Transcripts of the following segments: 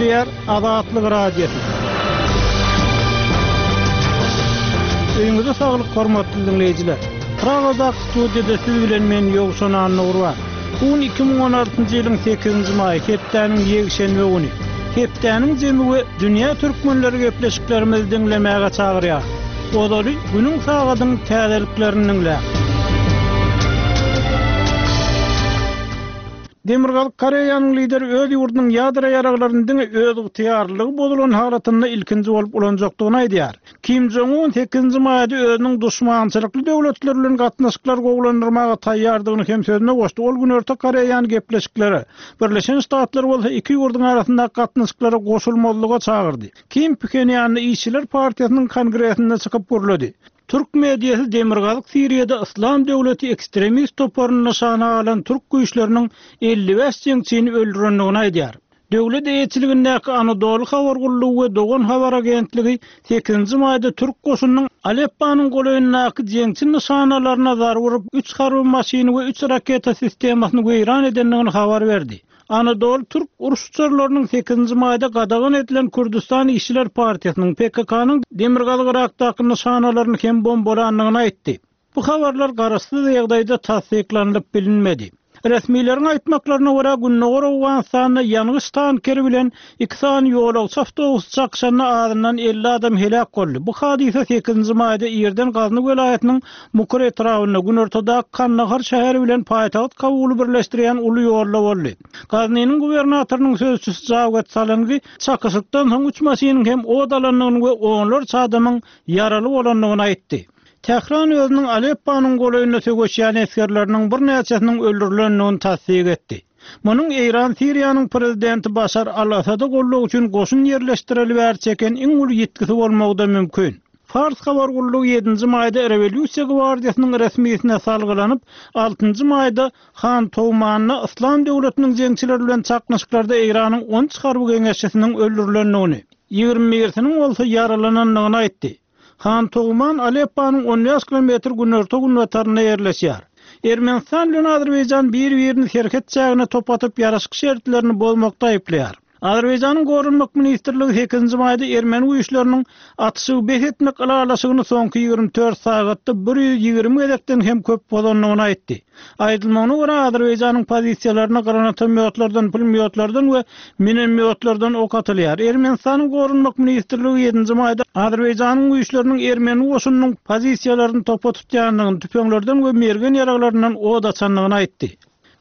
Gepleýär Azatlyk Radiosy. Öýüňize saglyk hormatly diňleýjiler. Pragadaky studiýada siz bilen men Ýowşan Annagurban. Bu gün 2016-njy ýylyň 8-nji maýy, hepdäniň ýekşenbe güni. Hepdäniň jemi we dünýä türkmenleri gepleşiklerimizi diňlemäge çagyrýar. Ozaly günüň sagadyň täzeliklerini diňläň. Demirgazyk Koreýanyň lideri öz ýurdunyň ýadro ýaraglaryny diňe özygtyýarlylygy bozulan halatynda ilkinji bolup ulanjakdygyny aýdýar. Kim Jong Un sekizinji maýda özüniň duşmançylykly döwletler bilen gatnaşyklary gowulandyrmaga taýýardygyny hem sözüne goşdy. Ol Günorta Koreýany gepleşiklere, Birleşen Ştatlary bolsa iki ýurduň arasyndaky gatnaşyklara goşulmazlyga çagyrdy. Kim Phenýanda Işçiler partiýasynyň kongresinde çykyp gürledi. Türk mediasy Demirgazyk Siriýada Yslam döwleti ekstremist toparyny nyşana alan türk güýçleriniň 55 jeňçini öldürendigini aýdýar. Döwlet eýeçiligindäki Anadolu habar gullugy we Dogan habar agentligi sekizinji maýda türk goşunynyň Alepponyň golaýyndaky jeňçi nyşanalaryna zarba urup, üç harby maşyny we üç raketa sistemasyny weýran edendigini habar berdi. Anadolu türk uruş uçarlarynyň sekizinji maýda gadagan edilen Kürdüstan işçiler partiýasynyň, PKK-nyň Demirgazyk Yrakdaky nyşanalaryny hem bombalandygyny aýtdy. Bu habarlar garaşsyz ýagdaýda tassyklanylyp bilinmedi. Resmileriň aýtmaklaryna görä, Gündogar Owganystanda ýangyç tankeri bilen iki sany ýolagçy awtobusy çakyşanda azyndan 50 adam heläk boldy. Bu hadysa sekizinji maýda irden Gazny welaýatynyň Mukur etrabynda, günortadaky Kandahar şäheri bilen paýtagt Kabuly birleşdirýän uly ýolda boldy. Gaznynyň gubernatorynyň sözçüsi Jawed Salangi çakyşykdan soň üç maşynyň hem ot alandygyny we onlarça adamyň ýaraly bolandygyny aýtdy. Tähran özüniň Alepponyň golaýynda söweşýän esgerleriniň birnäçesiniň öldürilendigini tassyk etdi. Munuň Eýran Siriýanyň prezidenti Başar al-Assada goldaw üçin goşun ýerleşdireli bäri çeken iň uly ýitgisi bolmagy-da mümkin. Fars habar gullugy ýedinji maýda Rewolýusiýa gwardiýasynyň resmisine salgylanyp, altynjy maýda Han Toumanda Yslam döwletiniň jeňçileri bilen çaknyşyklarda Eýranyň on üç harby geňeşçisiniň öldürilendigini, ýigrimi birisiniň bolsa ýaralanandygyny aýtdy. Han Touman Alepponyň on bäş kilometr günorta-günbatarynda ýerleşýär. Ermenistan bilen Azerbaýjan bir-birini serhet çägine top atyp ýaraşyk şertlerini bozmakda aýyplaýar. Azerbaýjanyň Goranmak ministrligi sekizinji maýda ermeni güýçleriniň atyşygy bes etmek ylalaşygyny soňky 24 sagatda 120 gezekden hem köp bozandygyny aýtdy. Aýdylmagyna görä, Azerbaýjanyň pozisiýalaryna granatomýotlardan, pulemýotlardan we minomýotlardan ok atylýar. Ermenistanyň Goranmak ministrligi ýedinji maýda Azerbaýjanyň güýçleriniň ermeni goşunynyň pozisiýalaryny topa tutýandygyny, tüpeňlerden we mergen ýaraglaryndan od açandygyny aýtdy.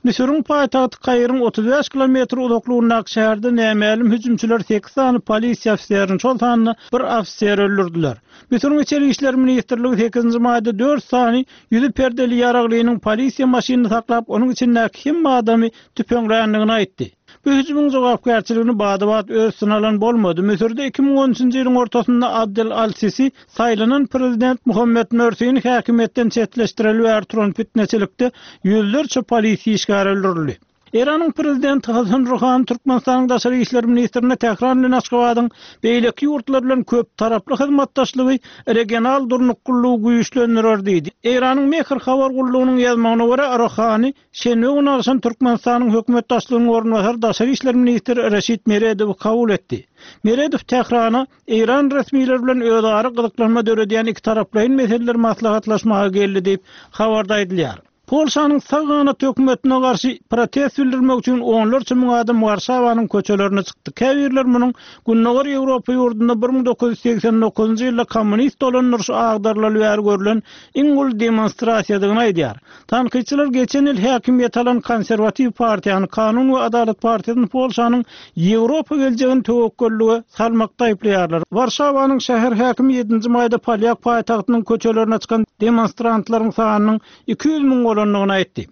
Müsüriň paýtagty Kairiň 35 kilometr uzaklygyndaky şäherde nämälim hüjümçiler sekiz sany polisiýa ofiserini, şol sanda bir ofiseri öldürdiler. Müsüriň Içeri işler ministrligi sekizinji maýda dört sany ýüzi perdeli ýaraglynyň polisiýa maşynyny saklap, onuň içindäki hemme adamy tüpeňländigini aýtdy. Bu hüjümiň jogapkärçiligini bada-bat öz üstüne alan bolmady. Müsürde 2013-nji ýylyň ortasynda Abdel al-Sisi saýlanan prezident Muhammet Mörsini häkimiýetden çetleşdireli bäri turan pitneçilikde ýüzlerçe polisiýa işgäri öldürildi. Eýranyň prezidenti Hasan Ruhani Türkmenistanyň daşary işler ministrine Tähran bilen Aşgabadyň beýleki ýurtlar bilen köptaraply hyzmatdaşlygy regional durnuklylygy güýçlendirer diýdi. Eýranyň Mehr habar gullugynyň ýazmagyna görä, Ruhani Şenbe güni agşam Türkmenistanyň hökümet başlygynyň orunbasary daşary işler ministri Reşit Meredowy kabul etdi. Meredow Tährana Eýran resmileri bilen özara gyzyklanma döredýän ikitaraplaýyn meseleleri maslahatlaşmaga geldi diýip, habarda aýdylýar. Polşanyň sag ganat hökümetine garşy protest bildirmek üçin onlarça müň adam Warşawanyň köçelerine çykdy. Käbirleri munuň Gündogar Ýewropa ýurdunda 1989-njy ýylda kommunist dolandyryşy agdarylaly bäri görlen iň uly demonstrasiýadygyny aýdýar. Tankytçylar geçen ýyl häkimiýeti alan Konserwatiw partiýany, Kanun we adalat partiýasyny Polşanyň Ýewropa geljegini töwekgellige salmakda aýyplaýarlar. Warşawanyň şäher häkimi ýedinji maýda polýak paýtagtynyň köçelerine çykan demonstrantlaryň sanynyň 200 müň bolandygyny aýtdy.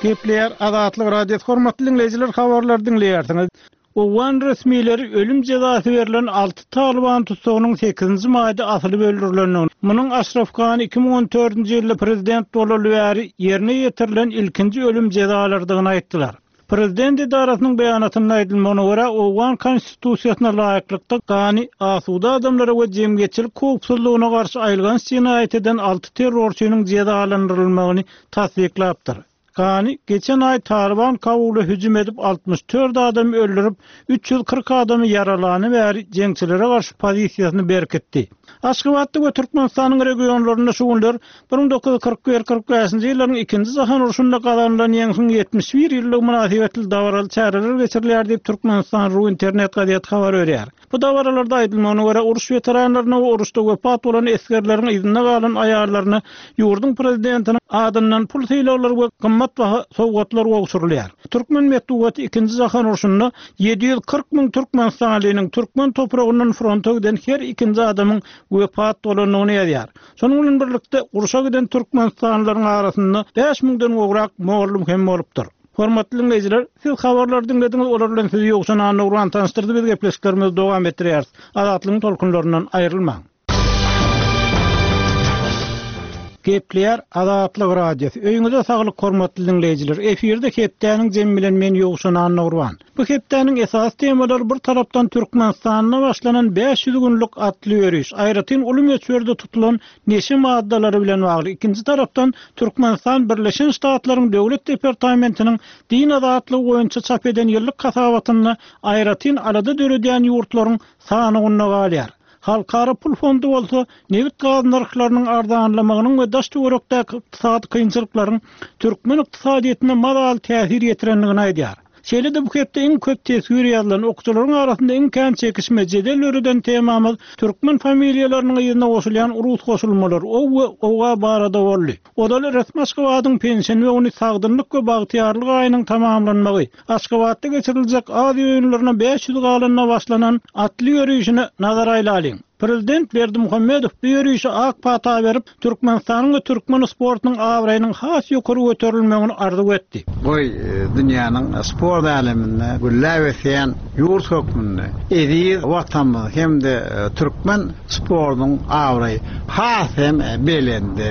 Gepleýär Azatlyk Radiosy hormatly diňleýjiler habarlary diňleýärsiňiz. Owgan resmileri ölüm jezasy berlen alty talyban tussagynyň sekizinji maýda asylyp öldürilendigini, munuň Aşraf Gani 2014-nji ýylda prezident bolaly bäri ýerine ýetirilen ilkinji ölüm jezalarydygyny aýtdylar. Prezident edarasynyň beýanatynda aýdylmagyna görä, owgan konstitusiýasyna laýyklykda Gani asuda adamlara we jemgyýetçilik howpsuzlygyna garşy aýylganç jenaýat eden alty terrorçynyň jezalandyrylmagyny tassyklapdyr. Gani geçen aý Talyban Kabula hüjüm edip 64 adamy öldürip, 340 adamy ýaralany bäri jeňçilere garşy pozisiýasyny berkitdi. Aşgabatda we Türkmenistanyň regionlarynda şu günler 1941, 45-nji ýyllaryň Ikinji jahan urşunda gazanylan ýeňşiň 71 ýyllygy mynasybetli dabaraly çäreler geçirilýär diýip, Türkmenistan. Ru internet gazeti habar berýär. Bu dabaralarda aýdylmagyna görä, uruş weteranlaryna we uruşda wepat bolan esgerleriň yzynda galan aýallaryna ýurduň prezidentiniň adyndan pul sylaglary we gymmatbaha sowgatlar gowşurylýar. Türkmen metbugaty Ikinji jahan urşunda 740 müň türkmenistanlynyň türkmen topragyndan fronta giden her ikinji adamyň wepat bolandygyny ýazýar. Şonuň bilen birlikde, urşa giden türkmenistanlylaryň arasynda bäş müňden gowrak mugallym hem bolupdyr. Hormatly diňleýjiler, siz habarlary diňlediňiz, olar bilen sizi Ýowşan Annagurban tanyşdyrdy, biz gepleşiklerimizi dowam etdirýäris. Azatlygyň tolkunlaryndan aýrylmaň. Gepleýär Azatlyk Radiosy. Öýüňize saglyk hormatly diňleýjiler. Efirde hepdäniň jemi bilen men Ýowşan Annagurban. Bu hepdäniň esasy temalary bir tarapdan Türkmenistanda başlanan 500 günlük atly ýöriş, aýratyn uly möçberde tutulan neşe maddalary bilen bagly, ikinji tarapdan Türkmenistan Birleşen Ştatlaryň Döwlet departamentiniň din azatlygy boýunça çap eden ýyllyk hasabatynda aýratyn alada döredýän ýurtlaryň sanawynda galýar. Halkara pul fondy bolsa nebit-gaz nyrhlarynyň arzanlamagynyň we daş-töwerekdäki ykdysady kynçylyklaryň türkmen ykdysadyýetine mazaly täsir ýetirendigini aýdýar. Şeýle-de bu hepde iň köp teswir ýazylan, okyjylaryň arasynda iň kän çekişme, jedel döreden temamyz türkmen familiýalarynyň yzyna goşulýan rus goşulmalary, ow we owa barada boldy. Ozal resmi Aşgabadyň penşenbe güni Sagdynlyk we bagtyýarlyk aýynyň tamamlanmagy, Aşgabatda geçiriljek Aziýa oýunlaryna 500 galanda başlanan atly ýörişine nazar aýlalyň. Prezident Berdimuhamedow bu ýörişe ak pata berip, Türkmenistanyň we türkmen sportunyň abraýynyň has ýokary göterilmegini arzuw etdi. Goý, dünýäniň sport äleminde gülläp ösýän ýurt hökmünde eziz Watanymyz hem-de türkmen sportunyň abraýy has hem belende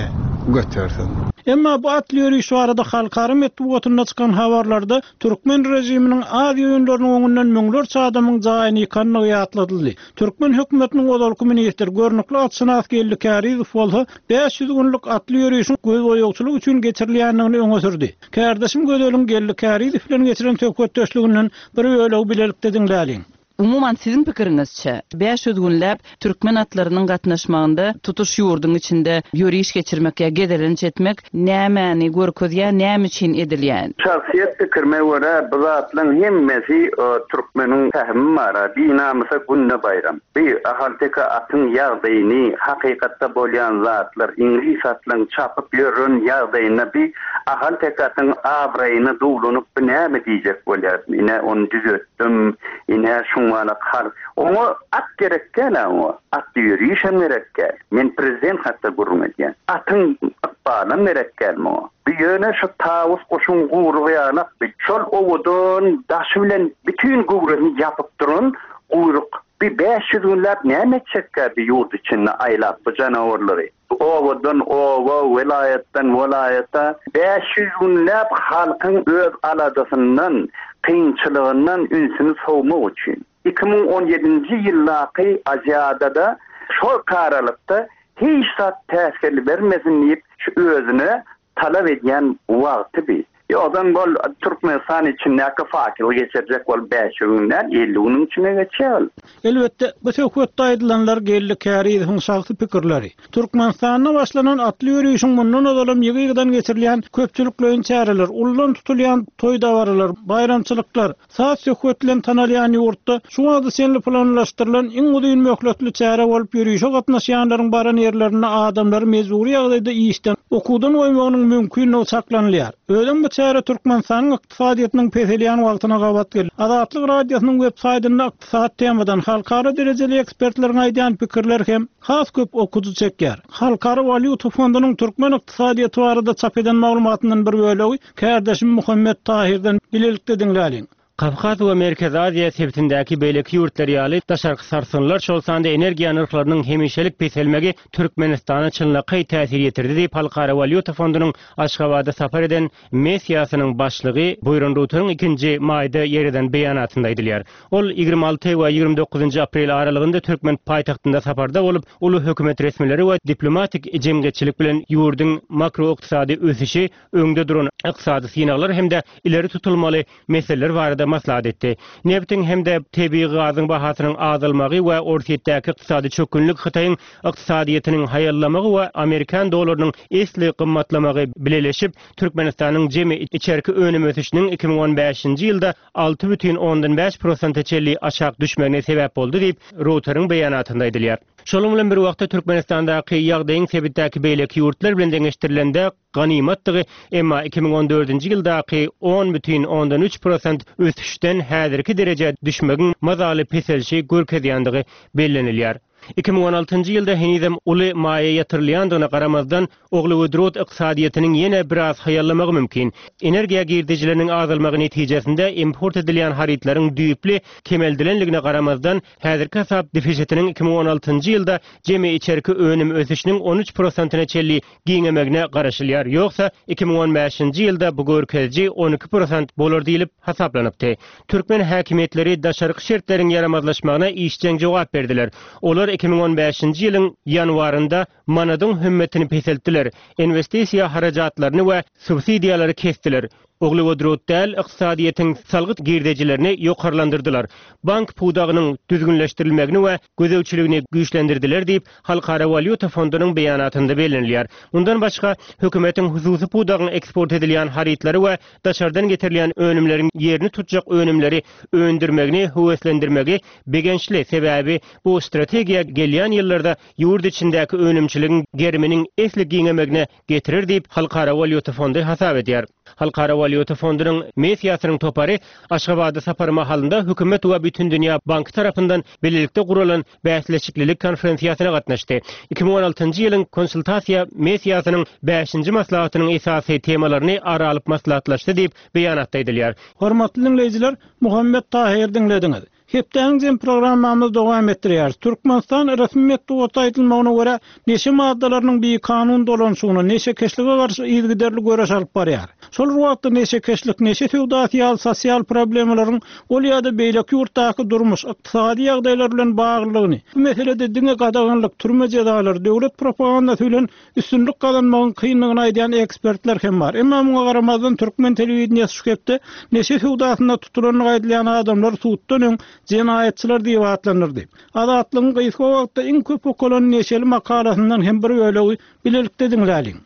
götersin. Emma bu atly ýöriş barada halkara metbugatynda çykan habarlarda türkmen režiminiň Aziýa oýunlarynyň öňünden müňlerçe adamyň jaýyny ýykandygy ýatladyldy. Türkmen hökümetiniň ozalky ministri, görnükli atşynas Geldi Kärizow bolsa 500 günlük atly ýörişiň gözboýagçylyk üçin geçirilýändigini öňe sürdi. Kärdeşim Gözeliň Geldi Kärizow bilen geçiren söhbetdeşliginden bir bölegi bilelikde diňläliň. Umuman, siziň pikiriňizçe, 500 günläp türkmen atlarynyň gatnaşmagynda tutuş ýurduň içinde ýöriş geçirmek ýa gezelenç etmek nämäni görkezýär, näme üçin edilýär? Şahsyýet pikirime görä bu zatlaň hemmesi türkmeniň pähimi bara, binamysa günde baýram. Bi ahalteke atyň ýagdaýyny, hakykatda bolýan zatlar, iňlis atlaň çapyp ýören ýagdaýynda bi ahalteke atyň abraýyna duwlanyp bi näme diýjek bolýar, ine ony düzetdim, ine şuňalak hal. Oňa at gerek däl-ä oňa, atly ýörişem gerek däl. Men prezident hakda gürrüň edýän. Atyň ykbalam gerek däl muňa. Bu ýöne şu tawus guşuň guýrugy ýalak bi. Şol owadan daşy bilen bütin göwresini ýapyp duran guýruk. Bi 500 günläp näme etjekkä bi ýurt içinde aýlap bu janawarlary. Obadan oba, welaýatdan welaýata 500 günläp halkyň öz aladasyndan, kynçylygyndan ünsüni sowmak üçin. 2017-nji ýyldaky Aziadada şol aralykda hiç zat päsgel bermesin diýip şu özüne talap edýän wagty bi. Ýogsam ol Türkmenistan içindäki fakeli geçirjek bolup 500 gün däl, 50 günüň içinde geçýär ol. Elbetde, bu söhbetde aýdylanlar Geldi Kärizowyň şahsy pikirleri. Türkmenistanda başlanan atly ýörişiň mundan ozalam ýygy-ýygydan geçirilýän köpçülikleýin çäreler, ullan tutulýan toý-dabaralar, baýramçylyklar, Saz-söhbet bilen tanalýan ýurtda şu wagta çenli planlaşdyrylan iň uzyn möhletli çäre bolup ýörişe gatnaşýanlaryň baran ýerlerinde adamlary mejbury ýagdaýda işden, okuwdan goýmagynyň mümkinligi çaklanylýar. Özem bu çäre Türkmenistanyň ykdysadyýetiniň peselýän wagtyna gabat geldi. Azatlyk Radiosynyň web saýtynda ykdysady temadan halkara derejeli ekspertleriň aýdýan pikirleri hem has köp okyjy çekýär. Halkara walýuta fondunyň türkmen ykdysadyýeti barada çap eden maglumatyndan bir bölegi Kärdeşim Muhammet Tahirden bilelikde diňläliň. Kawkaz we Merkezi Aziýa sebitindäki beýleki ýurtlar ýaly, daşarky sarsgynlar, şol sanda energiýa nyrhlarynyň hemişelik peselmegi Türkmenistana çynlakaý täsir ýetirdi diýip, Halkara walýuta fondunyň Aşgabada sapar eden missiýasynyň başlygy Buýran Ruteriň ikinji maýda ýer eden beýanatynda aýdylýar. Ol 26 we 29 aprel aralygynda türkmen paýtagtynda saparda bolup, uly hökümet resmileri we diplomatik jemgyýetçilik bilen ýurduň makroykdysady ösüşi, öňde duran ykdysady synaglar hem-de ileri tutulmaly meseleler barada maslahat etdi. Nebtiň hem-de tebigy gazyň bahasynyň azalmagy we Orsýetdäki ykdysady çökgünlik Hytaýyň ykdysadyýetiniň haýallamagy we amerikan dollarynyň esli gymmatlamagy bileleşip, Türkmenistanyň jemi içerki önüm ösüşiniň 2015-nji ýylda 6,5 prosente çenli aşak düşmegine sebäp boldy diýip, Reuteriň beýanatynda aýdylýar. Şonuň bilen bir wagtda, Türkmenistandaky ýagdaýyň sebitdäki beýleki ýurtlar bilen deňeşdirilende ganymatdygy, emma 2014-nji ýyldaky 10,3 prosent ösüşden häzirki derejä düşmegiň mazaly peselişi görkezýändigi bellenilýär. 2016-njy ýylda henizem uly maýa ýatyrylýandygyna garamazdan, uglewodorod ykdysadyýetiniň ýene biraz haýallamagy mümkin. Energiýa girdejileriniň azalmagy netijesinde import edilýän harytlaryň düýpli kemeldilenligine garamazdan, häzirki hasap defisitiniň 2016-njy ýylda jemi içerki önüm ösüşiniň 13 prosentine çenli giňemegine garaşylýar, ýogsa 2015-nji ýylda bu görkeziji 12 prosent bolar diýlip hasaplanypdy. Türkmen häkimiýetleri daşarky şertleriň ýaramazlaşmagyna işjeň jogap berdiler. Olar 2015-nji ýylyň ýanwarynda manadyň hümmetini peseltdiler, inwestisiýa harajatlaryny we subsidiýalary kesdiler, uglewodorod däl ykdysadyýetiň salgyt girdejilerini ýokarlandyrdylar, bank pudagynyň düzgünleşdirilmegini we gözegçiligini güýçlendirdiler diýip, Halkara walýuta fondunyň beýanatynda bellenilýär. Mundan başga, hökümetiň hususy pudagyň eksport edilýän harytlary we daşardan getirilýän önümleriň ýerini tutjak önümleri öndürmegini höweslendirmegi begençli, sebäbi bu strategiýa gelýän ýyllarda ýurt içindäki önümçiligiň geriminiň esli giňemegine getirer diýip, Halkara walýuta fondy hasap edýär. Halkara walýuta fondunyň missiýasynyň topary Aşgabada sapary mahalynda hökümet we Bütindünýä banky tarapyndan bilelikde guralan bäsleşiklilik konferensiýasyna gatnaşdy. 2016-njy ýylyň konsultasiýa missiýasynyň bäşinji maslahatynyň esasy temalaryny ara alyp maslahatlaşdy diýip, beýanatda aýdylýar. Hormatly diňleýjiler, Muhammet Tahyry diňlediňiz. Hepdäniň jem programmamyzy dowam etdirýäris. Türkmenistan resmi metbugatda aýdylmagyna görä, neşe maddalarynyň bikanun dolanyşygyna, neşekeşlige garşy yzygiderli göreş alyp barýar. Şol bir wagtda neşekeşlik, neşe söwdasy ýaly sosial problemalaryň ol ýa-da beýleki ýurtdaky durmuş, ykdysady ýagdaýlar bilen baglydygyny, bu meselede diňe gadaganlyk, türme jezalary, döwlet propagandasy bilen Üstünlik gazanmagyň kyndygyny aýdýan ekspertler hem bar. Emma muňa garamazdan türkmen telewideniýesi şu hepde neşe söwdasynda tutulandygy aýdylýan adamlary suddan öň jenaýatçylar diýip atlandyrdy. Azatlygyň gysga wagtda iň köp okalan neşeli makalasyndan hem bir bölegi bilelikde diňläliň.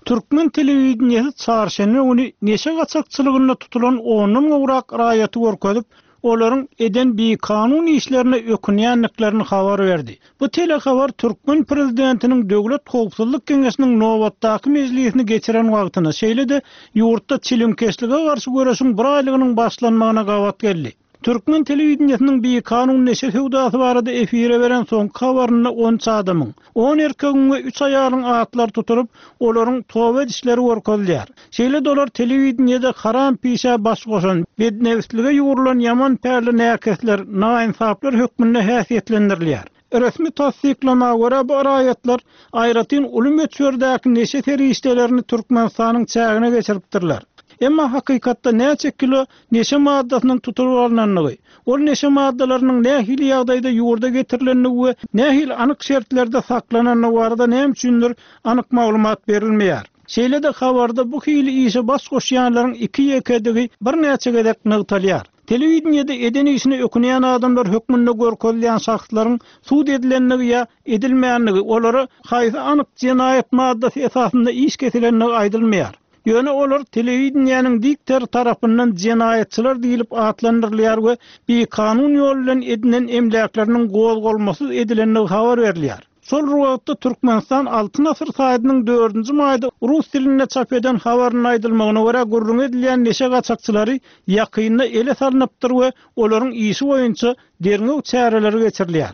Türkmen telewideniýesi çarşenbe güni neşe gaçakçylygynda tutulan ondan gowrak raýaty görkezip, olaryň eden bikanun işlerine ökünýändiklerini habar berdi. Bu telehabar türkmen prezidentiniň Döwlet howpsuzlyk geňeşiniň nobatdaky mejlisini geçiren wagtyna, şeýle-de ýurtda çilimkeşlige garşy göreşiň bir aýlygynyň başlanmagyna gabat geldi. Türkmen telewideniýesiniň bikanun neşe söwdasy barada efire beren soňky habarynda on üç adamyň, on erkegiň we üç aýalyň atlary tutulyp, olaryň toba edişleri görkezilýär. Şeýle-de olar telewideniýede haram pişä baş goşan, bednebislige ýugrulan ýaman pälli näkesler, naýynsaplar hökmünde häsiýetlendirilýär. Resmi tassyklama görä, bu raýatlar aýratyn uly möçberdäki neşe serişdelerini Türkmenistanyň çägine geçiripdirler. Emma hakykatda näçe kilo neşe maddasynyň tutulyp alnandygy, ol neşe maddalarynyň nähili ýagdaýda ýurda getirilendigi we nähili anyk şertlerde saklanandygy barada näme üçindir anyk maglumat berilmeýär. Şeýle-de habarda bu hili işe baş goşýanlaryň iki-ýekedigi birnäçe gezek nygtalýar. Telewideniýede eden işine ökünýän adamlar hökmünde görkezilýän şahslaryň sud edilendigi ýa edilmändigi, olara haýsy anyk jenaýat maddasy esasynda iş kesilendigi aýdylmaýar. Ýöne olar telewideniýäniň diktory tarapyndan jenaýatçylar diýlip atlandyrylýar we bikanun ýol bilen edinen emläkleriniň gozgalmasyz edilendigi habar berilýär. Şol bir wagtda Türkmenistan Altyn asyr saýtynyň dördünji maýda rus dilinde çap eden habarynda aýdylmagyna görä, gürrüňi edilýän neşe gaçakçylary ýakynda ele salnypdyr we olaryň işi boýunça derňew çäreleri geçirilýär.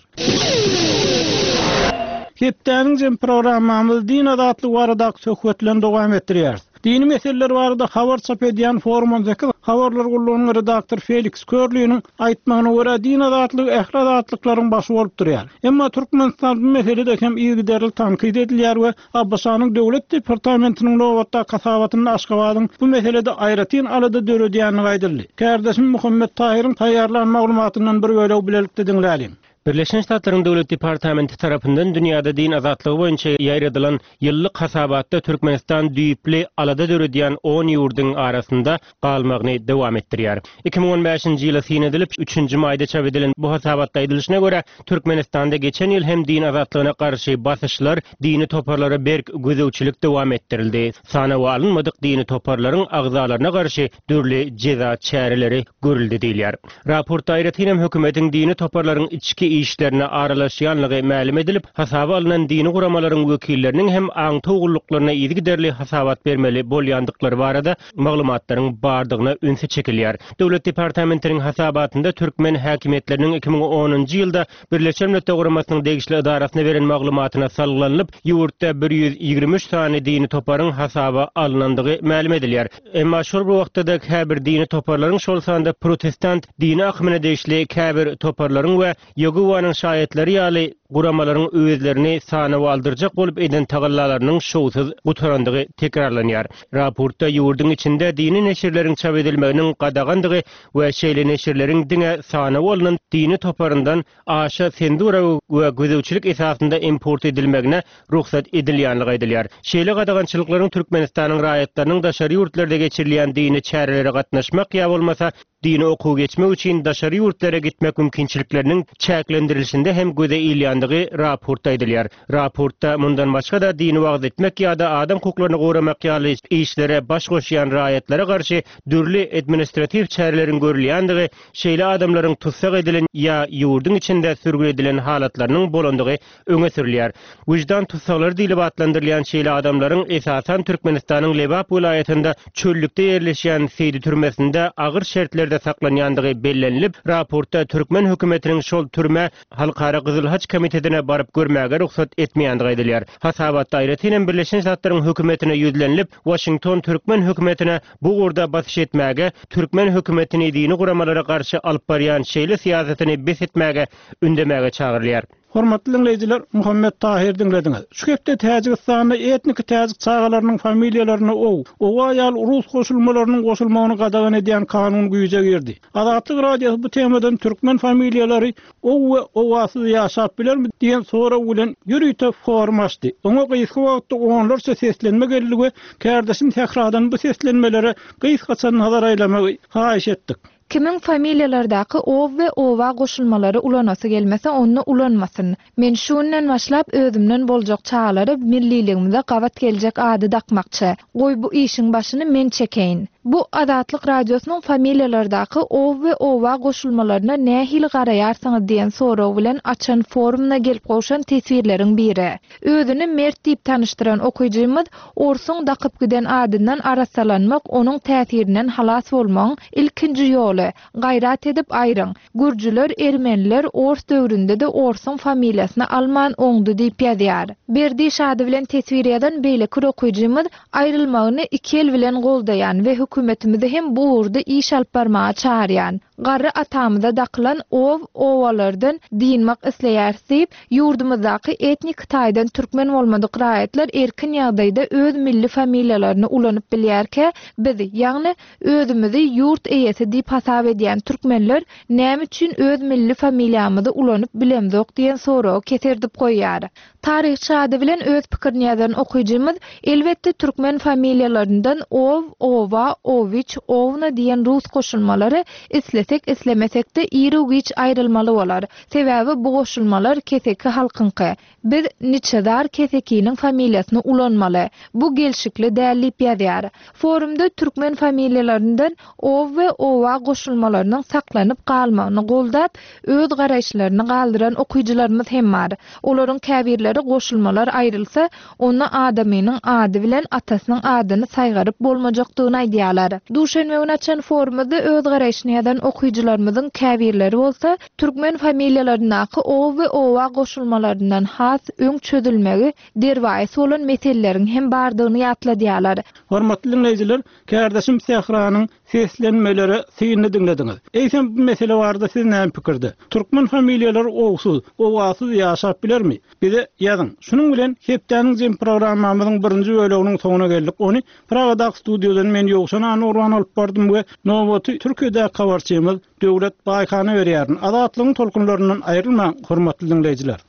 Hepdäniň jem programmamyzy din azatlygy baradaky söhbet bilen dowam etdirýäris. Dini meseleler barada habar çap edýän Forum 18 habarlar gullugynyň redaktory Feliks Körliniň aýtmagyna görä, din azatlygy ähli azatlyklaryň başy bolup durýar. Emma Türkmenistan bu meselede hem yzygiderli tankyt edilýär we ABŞ-nyň Döwlet departamentiniň nobatdaky hasabatynda Aşgabadyň bu meselede aýratyn alada döredýändigi aýdyldy. Kärdeşim Muhammet Tahyryň taýýarlan maglumatyndan bir bölegi bilelikde diňläliň. Birleşen Ştatlaryň Döwlet departamenti tarapyndan dünýäde din azatlygy boýunça ýaýradylan ýyllyk hasabatda Türkmenistan düýpli alada döredýän on ýurduň arasynda galmagyny dowam etdirýär. 2015-nji ýyla syn edilip, üçünji maýda çap edilen bu hasabatda aýdylyşyna görä, Türkmenistanda geçen ýyl hem din azatlygyna garşy basyşlar, dini toparlara berk gözegçilik dowam etdirildi. Sanawa alynmadyk dini toparlaryň agzalaryna garşy dürli jeza çäreleri görüldi diýilýär. Raportda aýratyn hem hökümetiň dini toparlaryň içki işlerine aralaşýanlygy mälim edilip, hasaba alnan dini guramalaryň wekilleriniň hem aňtaw gulluklaryna yzygiderli hasabat bermeli bolýandyklary barada maglumatlaryň bardygyna ünsi çekilýär. Döwlet departamentiniň hasabatynda türkmen häkimiýetleriniň 2010-njy ýylda Birleşen Milletler Guramasynyň degişli edarasyna beren maglumatyna salgylanylyp, ýurtda 123 sany dini toparyň hasaba alnandygy mälim edilýär. Emma şol bir wagtda-da käbir dini toparlaryň, şol sanda protestant dini akymyna degişli käbir toparlaryň we Ýegowanyň Şaýatlary ýaly guramalaryň özlerini sanawa aldyrjak bolup eden tagallalarynyň şowsuz gutarandygy tekrarlanýar. Raportda ýurduň içinde dini neşirleriň çap edilmeginiň gadagandygy we şeýle neşirleriň diňe sanawa alnan dini toparyndan aşa senzura we gözegçilik esasynda import edilmegine rugsat edilýänligi aýdylýar. Şeýle gadagançylyklaryň Türkmenistanyň raýatlarynyň daşary ýurtlarda geçirilýän dini çärelere gatnaşmak ýa bolmasa dini okuw geçmek üçin daşary ýurtlara gitmek mümkinçilikleriniň çäklendirilişinde hem göze ilýändigi raportda aýdylýar. Raportda mundan başga-da dini wagyz etmek ýa-da adam hukuklaryny goramak ýaly işlere baş goşýan raýatlara garşy dürli administratiw çäreleriň görülýändigi, şeýle adamlaryň tussag edilen ýa ýurduň içinde sürgün edilen halatlarynyň bolandygy öňe sürülýär. Wyždan tussaglary diýlip atlandyrylýan şeýle adamlaryň esasan Türkmenistanyň Lebap welaýatynda çöllükde ýerleşýän Seýdi türmesinde agyr şertlerde saklanýandygy bellenilip, raportda türkmen hökümetiniň şol türmä Halkara Gyzyl Haç Komitetine baryp görmäge rugsat etmeýändigi aýdylýar. Hasabatda aýratyn hem Birleşen Ştatlaryň hökümetine ýüzlenilip, Waşington türkmen hökümetine bu ugurda basyş etmäge, türkmen hökümetini dini guramalara garşy alyp barýan şeýle syýasatyny bes etmäge ündemäge çagyrylýar. Hormatly diňleýjiler, Muhammet Tahyry diňlediňiz. Şu hepde Täjigistanda etniki täjik çagalarynyň familiýalaryna ow, owa ýaly rus goşulmalarynyň goşulmagyny gadagan edýän kanun güýje girdi. Azatlyk Radiosy bu temadan türkmen familiýalary ow we owasyz ýaşap bilermi diýen sorag bilen ýörite forum açdy. Oňa gysga wagtda onlarça seslenme geldi we kärdeşim Sähradan bu seslenmelere gysgaça nazar aýlamagy haýyş etdik. Kimiň familiýalardaky ow we owa goşulmalary ulanasy gelmese onda ulanmasyn. Men şu günden başlap özümden boljak çagalara milliligimize gabat geljek ady dakmakçy. Goý bu işiň başyny men çekeýin. Bu Azatlyk Radiosynyň familiýalardaky ow we owa goşulmalaryna nähili garaýarsyňyz diýen sorag bilen açan forumyna gelip gowşan teswirleriň biri. Özüni Mert diýip tanyşdyran okyjymyz Orsuň dakyp giden adyndan arassalanmak onuň täsirinden halas bolmagyň ilkinji ýoly. Gaýrat edip aýryň. Gürjüler, ermeniler ors döwründe-de orsuň familiýasyny alman oňdy diýip ýazýar. Berdiş ady bilen teswir ýazan beýleki bir okyjymyz aýrylmagyny iki el bilen goldaýan we hökümetimizi hem bu ugurda iş alyp barmaga çagyrýan. Garry atamyza dakylan ow, owalardan dynmak isleýäris diýip, Ýurdumyzdaky etnik taýdan türkmen bolmadyk raýatlar erkin ýagdaýda öz milli familiýalaryny ulanyp bilýärkä, biz, ýagny, özümizi ýurt eýesi diýip hasap edýän türkmenler näme üçin öz milli familiýamyzy ulanyp bilemzok diýen soragy keserdip goýýar. Taryhçy ady bilen öz pikirini ýazan okyjymyz, elbetde türkmen familiýalaryndan ow, owa, owiç, owna diýen rus goşulmalary islesek-islemesek-de iru-giç aýrylmaly bolar. Sebäbi bu goşulmalar keseki halkyňky. Biz niçezar kesekiniň familiýasyny ulanmaly. Bu gelşikli däl diýip ýazýar. Forumda türkmen familiýalaryndan ow we owa goşulmalarynyň saklanyp galmagyny goldap, öz garaýyşlaryny galdyran okyjylarymyz hem bar. Olaryň käbirleri goşulmalar aýrylsa, onda adamynyň ady bilen atasynyň adyny saýgaryp bolmajakdygyny aýdýarlar. Duşenbe güni açan forumyzda öz garaýşyny ýazan okyjy. Okyjylarymyzyň käbirleri bolsa, türkmen familiýalaryndaky o we owa goşulmalaryndan has öň çözülmegi derwaýys bolan meseleleriň hem bardygyny ýatladýarlar. Hormatly diňleýjiler, kärdeşim Sähranyň seslenmelere synyny diňlediňiz. Eýsem bu mesele barada siz näme pikirde? Türkmen familiýalary owsuz, owasyz ýaşap bilermi? Bize ýazyň. Şunuň bilen hepdäniň jem programmamyzyň birinji böleginiň soňuna geldik. Ony Pragadaky studiýadan men Ýowşan Annagurban alyp bardym we nobaty Türkiýedäki habarçymyz Döwlet Baýhana berýärin. Azatlygyň tolkunlaryndan aýrylmaň, hormatly diňleýjiler.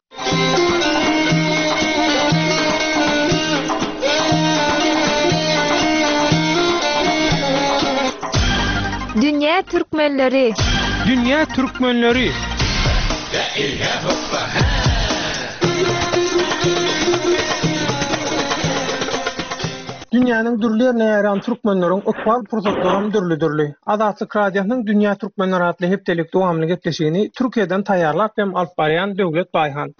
Dünýä türkmenleri! Dünýä türkmenleri! Dünýäniň dürli ýerine ýaýran türkmenleriň ykbal pursatlaram dürli-dürli. Azatlyk Radiosynyň Dünýä türkmenleri atly hepdelik dowamly gepleşigini Türkiýeden taýýarlap hem alyp barýan Döwlet Baýhan.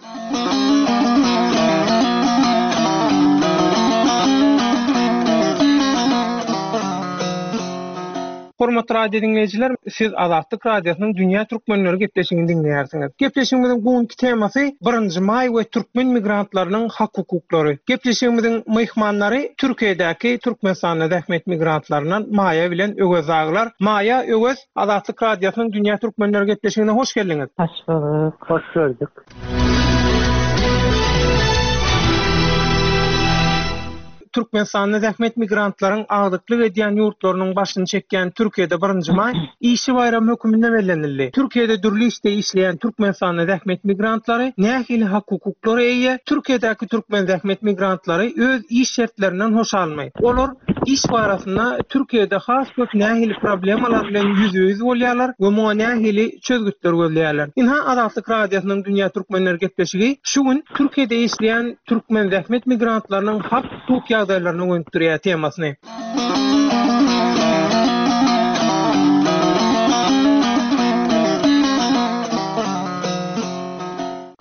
Hormatly radio diňleýjiler, siz Azatlyk Radiosynyň Dünýä türkmenleri gepleşigini diňleýärsiňiz. Gepleşigimiziň bu günki temasy Birinji maý we türkmen migrantlarynyň hak-hukuklary. Gepleşigimiziň myhmanlary Türkiýedäki Türkmenistanda zähmet migrantlaryndan Maýa bilen Öwez dagylar. Maýa, Öwez, Azatlyk Radiosynyň Dünýä türkmenleri gepleşigine hoş geldiňiz. Hoş bulduk. Hoş gördük. Türkmenistanda zähmet migrantlaryň agdyklyk edýän ýurtlarynyň başyny çekýän Türkiýede birinji maý Işçi baýramy höküminde bellenildi. Türkiýede dürli işde işleýän türkmenistanly zähmet migrantlary nähili hak-hukuklara eýe? Türkiýedäki türkmen zähmet migrantlary öz iş şertlerinden hoşalmy? Olar iş barasynda Türkiýede has köp nähili problemalar bilen ýüzbe-ýüz bolýarlar we muňa nähili çözgütler gözleýärler? Ynha Azatlyk Radiosynyň Dünýä Türkmenleri gepleşigi şu gün Türkiýede işleýän türkmen zähmet migrantlarynyň hak-hukuk ýagdaýlaryna gönükdirýär temasyny.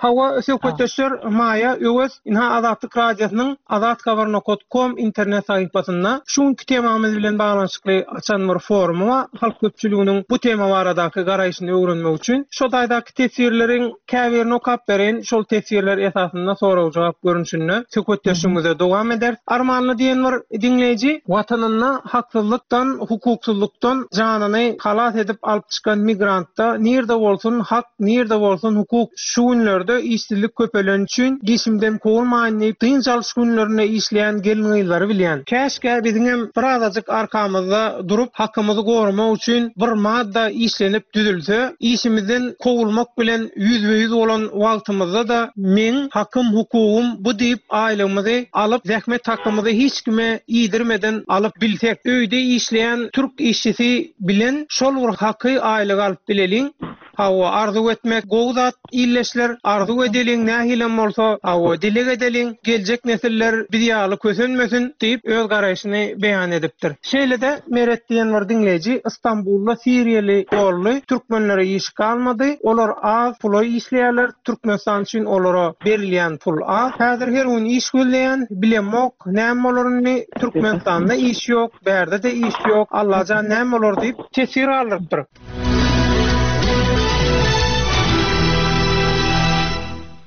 Hawa, söhbetdeşler Maýa, Öwez, ynha Azatlyk Radiosynyň azathabar nokat kom internet sahypasynda şu günki temamyz bilen baglanyşykly açan bir forumy bar. Halk köpçüliginiň bu tema baradaky garaýşyny öwrenmek üçin şo taýdaky teswirleriň Käbirini okap bereýin, şol teswirler esasynda sorag-jogap görnüşinde söhbetdeşligimize dowam ederis. Armanly diýen bir diňleýji, Watanynda haksyzlykdan, hukuksyzlykdan janyny halas edip alyp çykan migrantda nirde bolsun hak, nirde bolsun hukuk, şu günlerde işsizlik köpeleni üçin işimden kowulmaýyn diýip dynç alyş günlerinde işleýän gelin-gyzlary bilýän. Käşgä biziňem birazajyk arkamyzda durup hakymyzy goramak üçin bir madda işlenip düzülse, işimizden kowulmak bilen ýüzbe-ýüz bolan wagtymyzda-da meň hakym-hukugym bu diýip aýlygymyzy alyp, zähmet hakymyzy hiç kime iýdirmeden alyp bilsek, öýde işleýän türk işçisi bilen şol bir haky aýlygy alyp bileliň. Hawa, arzuw etmek gowy zat, ildeşler, arzuw edeliň nähilem bolsa, hawa, dileg edeliň, geljek nesiller biz ýaly kösenmesin diýip öz garaýşyny beýan edipdir. Şeýle-de Meret diýen bir diňleýji Stambulda siriýaly dolly türkmenlere iş galmady, olar az pula işleýärler, Türkmenistan üçin olara berilýän pul az. Häzir her gün iş gözleýän, bilemok näme bolar indi, Türkmenistanda iş ýok, bärde-de iş ýok, Allajan näme bolar diýip, teswir galdyrypdyr.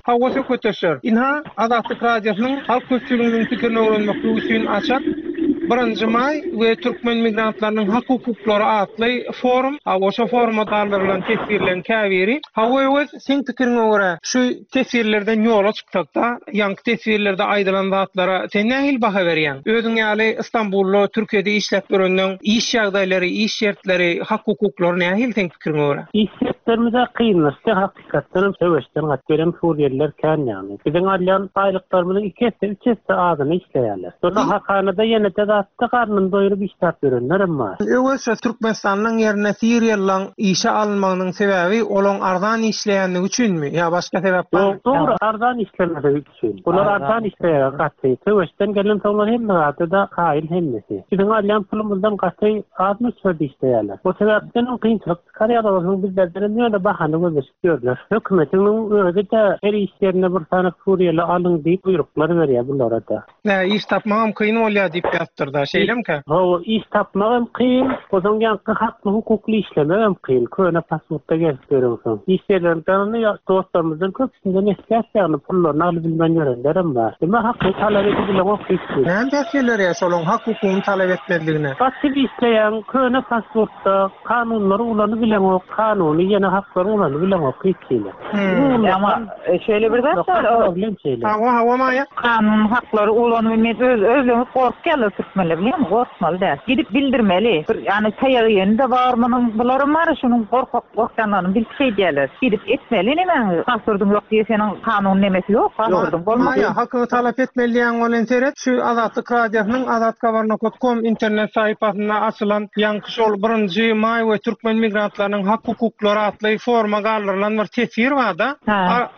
Hawa söhbetdeşler, ynha Azatlyk Radiosynyň halk köpçüliginiň pikirini öwrenmeklik üçin açan Birinji maý we türkmen migrantlarynyň hak-hukuklary atly forum, hawa şo foruma galdyrylan teswirleriň käbiri. Hawa Öwez, seň pikiriňe görä şu teswirlerden ýola çyksakda, ýaňky teswirlerde aýdylan zatlara sen nähili baha berýäň? Özüň ýaly Stambulda, Türkiýede işläp ýörenleň iş ýagdaýlary, iş şertleri, hak-hukuklary nähili seň pikiriňe görä? Iş şertlerimiz-ä kynlaşdy, Hakykatdanam söweşden gaçyp gelen surýeliler kän ýagny. Biziň alýan aýlyklarymyzyň iki esse, üç esse azyna işleýärler. Şonda hakanada ýene-de zatda garnyny doýrup işläp ýörenlerem bar. Öwez şo Türkmenistanlyň ýerine siriýalylaň işe alynmagynyň sebäbi olaň arzan işleýänligi üçinmi ýa başga sebäp barmy? Ýok dogry arzan işlemezligi üçin. Bular arzan işleýär gaty. Söweşden gelensoňlar hemme zada-da kaýyl hemmesi. Biziň alýan pulumyzdan gaty az möçberde işleýärler. O sebäpdenem kynçylyk Çykarýarlar onsoň bizlerdenem ýöne bahana gözleşip ýörler. Hökümetiň özi-de her iş ýerinde bir sany suriýaly alyň diýip buýruklar berýär bulara-da. Nä, iş tapmagam kyn bolýar diýip ýazypdyr. bolupdyr-da, şeýlemikä? Hawa, iş tapmak hem kyn, onsoň ýaňky hakly-hukukly işlemek hem kyn, köne pasportda gezip ýöreňsoň. Iş ýerlerinden dostlarymyzdan köpüsinden eşidýäs ýagny pullaryny alybilmän ýörenlerem bar. Emma hakyny talap edibileňok hiç hili. Näme päsgel berýär şolaň hak-hukugyny talap etmezligine? Gaçyp işleýäň, köne pasportda, kanunlary ulanybileňok, kanuny ýene haklaryňy ulanybileňok hiç hili. Emma şeýle bir zat bar, Problem şeýle. Hawa, hawa Maýa. Kanun haklary ulanyp öz özleňiz gorkýarlar türkmenler bilýäňmi gorkmaly däl. Gidip bildirmeli. Bir ýany taýak iýeni-de bar munuň bularam bar şunuň gorkak gorkýanlaryny bilip şeýdýärler. Gidip etmeli nemäňi pasportyň ýok diýe seniň kanun nemesi ýok pasportyň bolmasa. Maýa hakyňy talap etmeli diýýäň welin seret şu Azatlyk Radiosynyň azathabar kom internet sahypasynda açylan ýaňky Şol birinji maý we türkmen migrantlarynyň hak-hukuklary atly foruma galdyrylan bir teswir barda.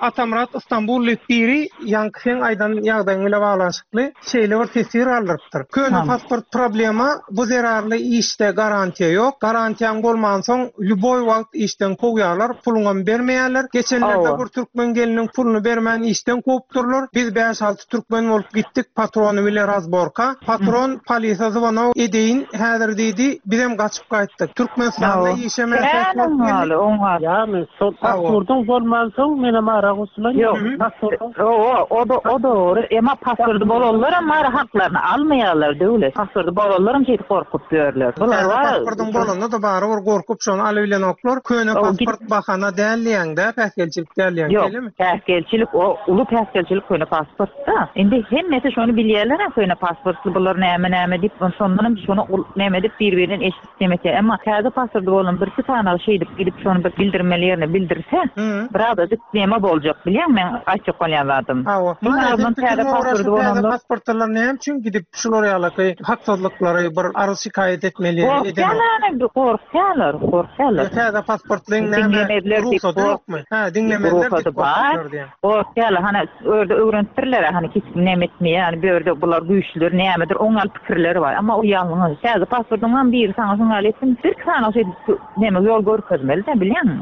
Atamyrat Istanbul diýip biri ýaňky seň aýdan ýagdaýyň bile baglanyşykly şeýle bir teswir galdyrypdyr. Köne pasport problema, bu zerarly işde garantiýa ýok. Garantiýaň bolmansoň lýuboý wagt işden kowýarlar, puluňam bermeýärler. Geçenlerde bir türkmen gelniniň puluny bermän işden kowupdyrlar. Biz bäş-alty Türkmen bolup gitdik patrony bile razborka. Patron polise zwono edeýin häzir diýdi, bizem gaçyp gaýtdyk. Türkmenistanda işe mätäç bolup geldik. Ýagny şol pasportyň bolmansoň menem ara goşulan ýok. Hawa o-da o dogry emma pasporty bolanlaram bar haklaryny almaýarlar döwlet. Pasporty bolanlaram şeýdip gorkup ýörler. Bular Täze pasportyň bolanda-da barybir gorkup şony alybilenoklar. Köne pasport bahana däl diýýäň-dä päsgelçilik däl diýýäň şeýlemi? Päsgelçilik o uly päsgelçilik köne pasportda. Indi hemmesi şony bilýärler-ä köne pasportly bular näme näme diýip şondanam şony näme edip bir-birinden eşidip neme etýär. Emma täze pasporty bolan birki sanagy şeýdip gidip şony bir bildirmeli ýerine bildirse birazajyk neme boljak bilýäňmi meň aýtjak bolýan zadym. Hawa. Iň azyndan täze pasporty Täze bolanlar. pasportlylar näme üçin gidip şular ýalaky haksyzlyklary bir arz şikaýat etmeli ýeri edenok. Gorkýarlar gorkýarlar gorkýarlar. Täze pasportlyň näme rugsady ýokmy? Hä, diňlemezler diýip gorkupdylar diýýän. Gorkýarlar, hany o ýerde öwrenipdirler-ä, hany hiç kim näme etmeýär, hany bu ýerde bular güýçlüdir, nämedir, oň ýaly pikirleri bar. Emma o ýalňyş. Täze pasportyňam biri saňa şuň ýaly etsin, birki sany şeýdip näme ýol görkezmeli-dä, bilýäňmi?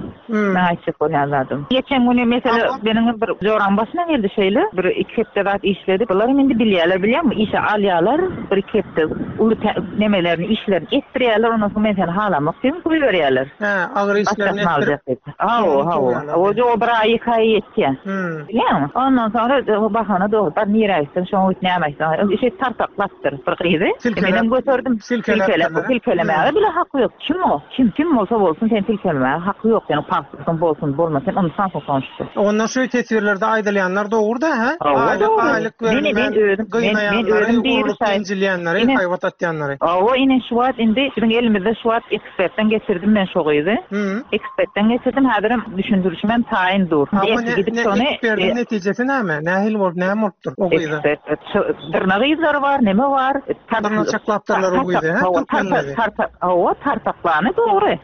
Meň aýtjak bolýan zadym. Geçen güni mesele meniň bir joram başyna geldi şeýle, bir iki hepde zat işledi. Bularam indi bilýärler, bilýäňmi, işe alýarlar, bir iki hepde uly nemelerini, işlerini etdirýärler, ondan soň men seni halamok diýip goýberýärler. Hä, agyr işlerini etdirip. Hawa, hawa. O bir aý, iki aý ýetýär. Bilýäňmi? Ondan soňra bahana dogry, bar nirä gitseň, şoňa git, näme aýtsaň, şeýdip tartaklapdyr bir gyzy. Menem göterdim. Silkeläp, silkelemäge bile haky ýok. Kim o? Kim? Kim bolsa bolsun, seni silkelemäge haky ýok. Seniň pasportyň bolsun, bolmasyn, sen ynsansyň sonuçda. Onda şu teswirlerde aýdylýanlar dogry-da, hä? Hawa, dogry. Aýlyk berilmän gynaýanlary, urlup ýenjilýänleri, haýbat atýanlary. Hawa, ine şu wagt indi biziň elimizde şu wagt Ekspertden geçirdim men şo gyzy. Ekspertden geçirdim, häzirem düşündirişimem taýyn dur. Ha, bu ne, Gidip ne, şony eksperdiň netijesi näme? Nähili bolup, näme bolupdyr o gyza? Ekspert, dyrnak yzlary bar, neme bar? Dyrnaçaklapdyrlar o gyzy, hä, türkmen gyzy? Hawa, tartaklany dogry.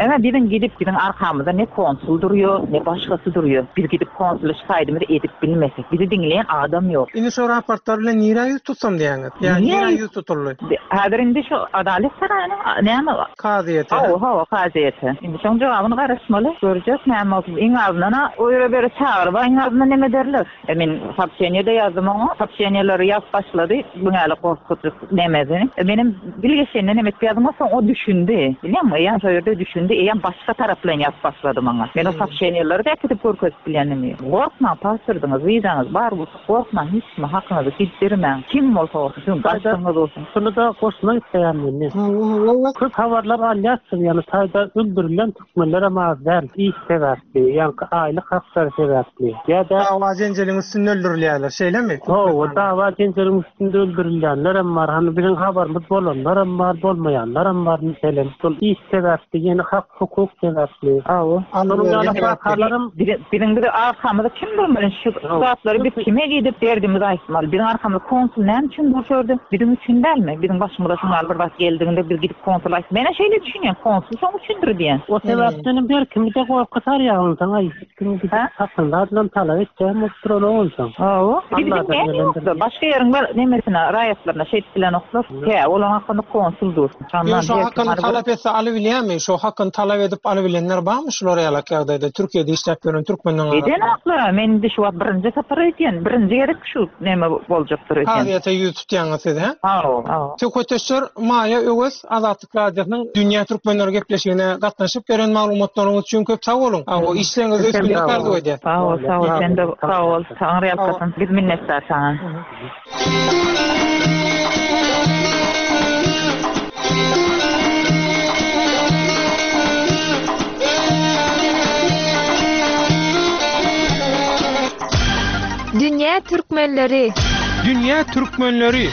Emma biziň gidip, biziň arkamyzda ne konsul durýar, ne başgasy durýar. Biz gidip konsula şikaýadymyzy edip bilmesek, bizi diňleýän adam ýok. Indi şo raportlar bilen nirä ýüz tutsam diýýäňiz? Ýa nirä ýüz tutuldy? Häzir indi şu Adalet saraýynyň näme? Kazyýete. Hawa, hawa, kazyýete. Indi şoň jogabyny garaşmaly. Görjek näme bolsun. Iň azyndan-a o ýere beri çagyryp-a iň azyndan neme ederler. E men soobşeniýe-de ýazdym oňa. Soobşeniýeleri ýazyp başlady. Bu ýaly gorkuzyp nemesini. E menem bilgeşeýinden neme edip ýazdym soň o düşündi. Bilýäňmi, eýýäm şo ýerde düşündi. Eýýäm başga taraplaýyn ýazyp başlady maňa. Men o soobşeniýeleri-de äkidip görkezip bilýänimi. Gorkmaň, pasportyňyz, wizaňyz bar bolsa. Gorkmaň hiç kime hakyňyzy gizdirmäň kim bolsa bolsun siziň başlygyňyz bolsun. Şuny-da goşmak isleýän men. Köp habarlar alýarsyň, ýagny taýda öldürilen türkmenlerem az däl, iş sebäpli, ýaňky aýlyk haklary sebäpli ýa-da. Dawa-jenjeliň üstünde öldürilýärler, şeýlemi? Hawa, dawa-jenjeliň üstünde öldürilýänlerem bar, hany biziň habarymyz bolanlaram bar, bolmaýanlaram bar, meselem, şol iş sebäpli, ýene hak Hukuk sebäpli. Hawa. Şonuň ýaly wakalaram. Biziň bizi arkamyzda kim durmaly şu zatlary biz kime gidip derdimizi aýtmaly biziň arkamyzda konsul näme üçin dur şu ýerde biziň üçin dälmi biziň başymyza şuň ýaly bir zat geldiginde biz gidip konsula aýt menä şeýle düşünýän konsul şoň üçindir diýen. O sebäpdenem her kimi-de gorky sarýar onsoň aý hiç kim gidip hakyny zadynam talap etjegem bolup duranok onsoň. Hawa. Bizi diňleýän ýokda başga ýeriň bir nemesine raýatlaryna şeýdip bilenoklar. Tä olaň hakynda konsul dur. Ýöne şo hakyny talap etse alybilýärmi? Şo hakyny talap edip alybilenler barmy şular ýalak ýagdaýda Türkiýede işläp ýören türkmenleň arasynda? Edenoklar-a, men indi şu wagt birinji sapar öýdýän, birinji gezek şu neme boljakdyr öýdýän. Kazyýete ýüz tutýaňyz siz hä? Sag bol. Söhbetdeşler Maýa Öwez Azatlyk Radiosynyň Dünýä Türkmenleri gepleşigine gatnaşyp beren maglumatlaryňyz üçin köp sag boluň. Işleriňizde üstünlik arzuw edýäs. Sag bol, sag bol, sen-de sag bol. Taňryýalkasyn. Biz minnetdar saňa. Dünýä türkmenleri. Dünýä türkmenleri.